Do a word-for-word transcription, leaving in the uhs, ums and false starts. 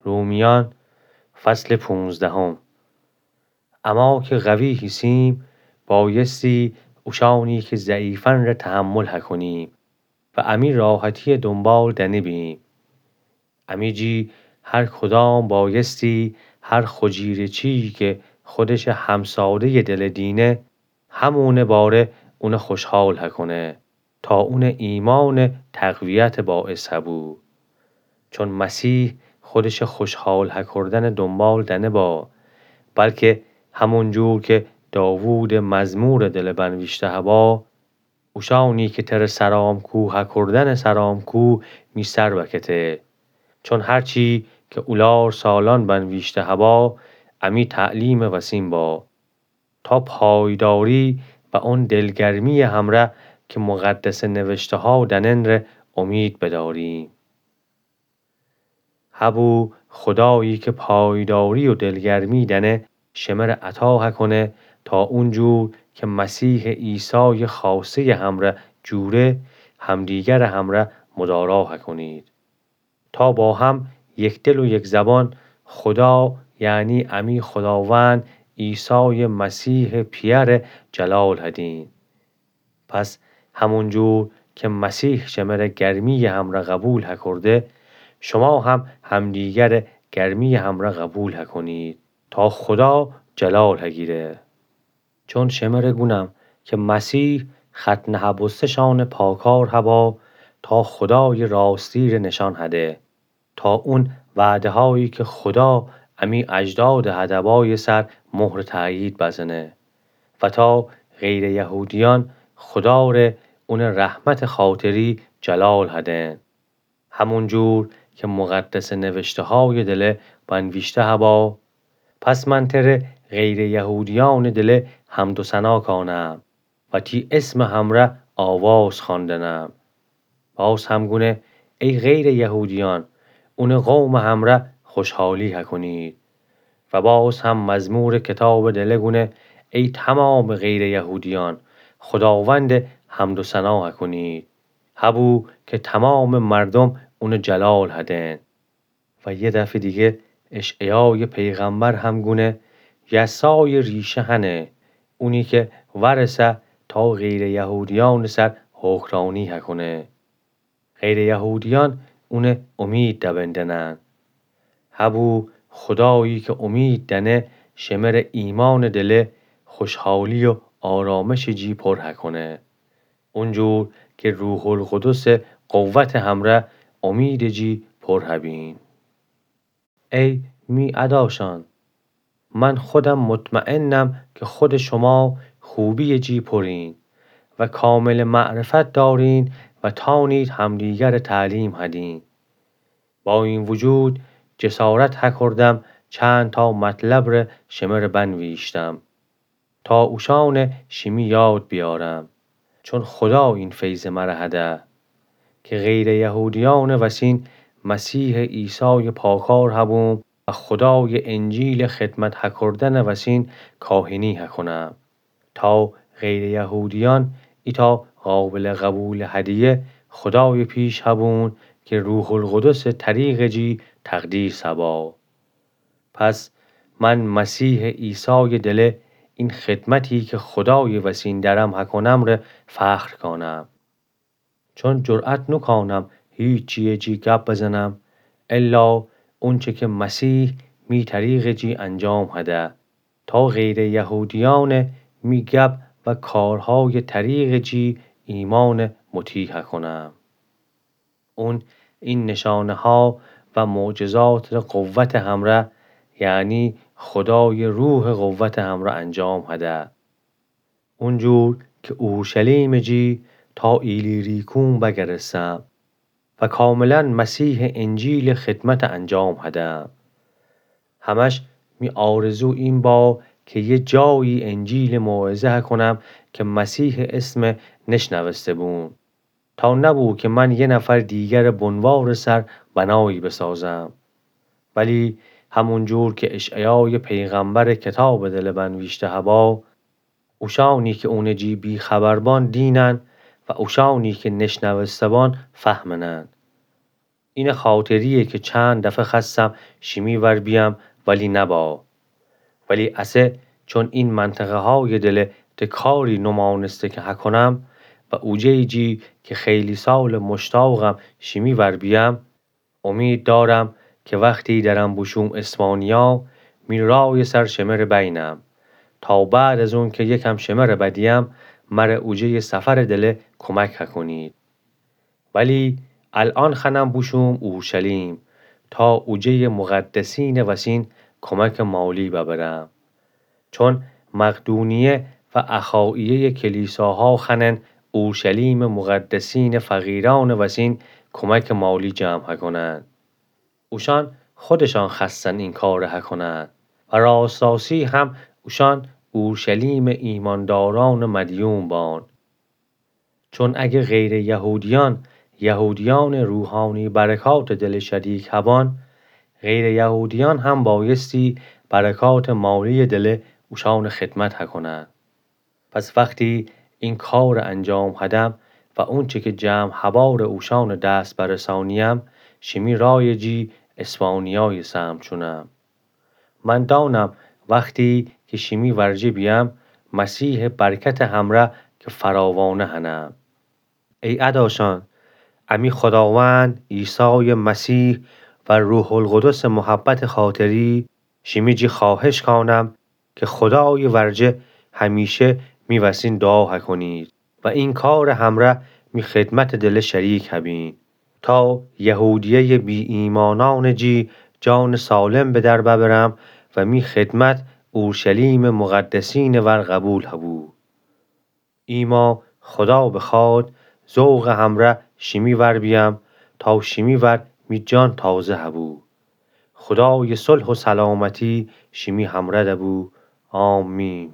رومیأن، فصل پونزدهم. اما که قوی هیسیم، بایستی اوشأنی که ضعیفن ره تحمل هکنیم و امی راحتیه دونبال دأنه بیم. امی جی هر کدام بایستی هر خجیره‌چیی که خودشه همساده‌یٚ دله دینه، همونه باره اونه خوشحال هکنه، تا اونه ایمأنٚ تقویتٚ باعث هبو. چون مسیح خودشه خوشحال هکردنٚ دونبال دأنه با، بلکه همونجور که داوودٚ مزمورٚ دله بنویشته هبا، اوشأنی که تره سرامکو هکردنٚ سرامکو می سر بکته. چون هرچی که اولار سالأن بنویشته هبا، امی تعلیمٚ وسین با، تا پایداری و اون دلگرمییٚ همرأ که مقدسٚ نوشته‌ها دأنن ره امید بداریم. هبو خدایی که پایداری و دلگرمی دأنه، شمره عطا هکنه تا اونجور که مسیحٚ عیسایٚ خوأسته‌یٚ همرأ جوره، همدیگرٚ همرأ مدارا هکنید. تا با هم یک دل و یک زبان خدا، یعنی امی خداوند عیسایٚ مسیحٚ پیأره جلال هدین. پس همونجور که مسیح شمره گرمییٚ همرأ قبول هکرده، شما هم همدیگره گرمییٚ همرأ قبول هکنید، تا خدا جلال هگیره. چون شمره گونم که مسیح ختنه هبوسته‌شانٚ پاکار هبا، تا خدایٚ راستی ره نشان هده، تا اون وعده‌هایی که خدا امی اجدادٚ هدبایٚ سر مهرٚ تأیید بزنه و تا غیرٚ یهودیأن خدا ره اونٚ رحمتٚ خاطری جلال هدن. همونجور که مقدسٚ نوشته‌هایٚ دله بنویشته هبا، پس من تره غیرٚ یهودیأنٚ دله حمد و ثنا کانم و تی اسمٚ همرأ آواز خواندنم. باز هم گونه، ای غیرٚ یهودیأن، اونٚ قومٚ همرأ خوشحالی هکنید. و باز هم مزمورٚ کتابٚ دله گونه، ای تومامٚ غیرٚ یهودیأن، خداوند حمد و ثنا هکنید. هبو که تومامٚ مردوم اونٚ جلال هدن. و یه دفعه دیگه اشعیایٚ پیغمبر هم گونه، یسایٚ ریشه هنه، اونی که وأرسه تا غیرٚ یهودیأنٚ سر حکمرانی هکنه. غیرٚ یهودیأن اونه امید دبندنن. هبو خدایی که امید دأنه، شمره ایمانٚ دله خوشحالی و آرامشٚ جی پر هکنه. اونجور که روح‌القدسٚ قوتٚ همرأ امیدٚ جی پر هبین. ای می اداشأن، من خودم مطمئنم که خود شما خوبیٚ جی پرین و کاملٚ معرفت دارین و تانید همدیگرٚ تعلیم هدین. با این وجود جسارت هکردم چند تا مطلب ره شمره بنویشتم. تا اوشأنه شیمی یاد بیارم. چون خدا این فیضه مره هده که غیرٚ یهودیأنٚ وسین مسیحٚ عیسایٚ پاکار هبوم و خدایٚ انجیلٚ خدمت هکردنٚ وسین کاهنی هکنم. تا غیرٚ یهودیأن ایتأ قابلٚ قبولٚ هدیه خدایٚ پیش هبون که روح‌القدسٚ طریقٚ جی تقدیس هبا. پس من مسیحٚ عیسایٚ دله این خدمتی که خدایٚ وسین درم هکنم ره فخر کانم. چون جرأت نوکانم هیچیٚ جی گپ بزنم، الا اونچه که مسیح می طریقٚ جی انجام هده، تا غیرٚ یهودیأنه می گپ و کارهایٚ طریقٚ جی ایمانٚ مطیع هکنم. اون این نشانه‌ها و معجزات ره قوتٚ همرأ، یعنی خدایٚ روحٚ قوتٚ همرأ انجام هده. اونجور که اورشلیمٚ جی تا ایلیریکوم بگرستم و کاملا مسیحٚ انجیلٚ خدمت انجام هدم. همش می آرزو این با که یه جایی انجیلٚ موعظه هکنم که مسیحٚ اسم نشنوسته بون. تا نبو که من یه نفر دیگرٚ بنوارٚ سر بنایی بسازم. ولی همونجور که اشعیایٚ پیغمبرٚ کتابٚ دله بنویشته هبا، اوشأنی که اونٚ جی بی‌خبر بان دینن و اوشأنی که نشنوسته بان فهمنن. اینه خاطریه که چند دفه خأستم شیمی ور بیأم ولی نبا. ولی اسه چون این منطقه‌هایٚ دله ته کاری نومأنسته که هکنم و اوجه‌یٚ جی که خیلی سالٚ مشتاقم شیمی ور بیأم، امید دأرم که وختی درم بوشوم اسپانیا، می رایٚ سر شمره بینم، تا بعد از اونکه یکم شمره بدیم، مره اوجه‌یٚ سفرٚ دله کمک هکنید. ولی الأن خوأنم بوشوم اورشلیم، تا اوجه‌یٚ مقدسینٚ وسین کمکٚ مالی ببرم. چون مقدونیه و اخاییه‌یٚ کلیساها خوأنن اورشلیمٚ مقدسینٚ فقیرأنٚ وسین کمکٚ مالی جمع هکنن. اوشأن خودشأن خوأستن این کار هکنن و راست‌راستی هم اوشأن اورشلیمٚ ایماندارأنٚ مدیون بان. چون اگه غیرٚ یهودیأن، یهودیأنٚ روحانی برکاتٚ دله شریک هبان، غیرٚ یهودیأن هم بأیستی برکاتٚ مالییٚ دله اوشأنٚ خدمت هکنن. پس وختی این کارٚ انجام هدم و اونچه که جمع هبارٚ اوشأنٚ دس برسأنیم، شیمی رایٚ جی اسپانیایٚ سمت شونم. من دأنم وختی که شیمی ورجه بیأم، مسیحٚ برکتٚ همره که فراوانه هنم. ای اداشأن، امی خوداوند عیسایٚ مسیح و روح‌القدسٚ محبتٚ خاطری شیمی جی خوأهش کانم که خودایٚ ورجه همیشه می وسین دوعا هکنید و این کارٚ همره می خدمتٚ دله شریک هبین، تا یهودیه‌یٚ بی‌ایمأنأنٚ جی جانٚ سالم به در ببرم و می خدمت اورشلیمٚ مقدسینٚ ور قبول هبو. ایما خودا بخوأد، ذوقٚ همره شیمی ور بیأم، تا شیمی ور می جان تازه هبو. خودایٚ صلح و سلامتی شیمی همره دبو. آمین.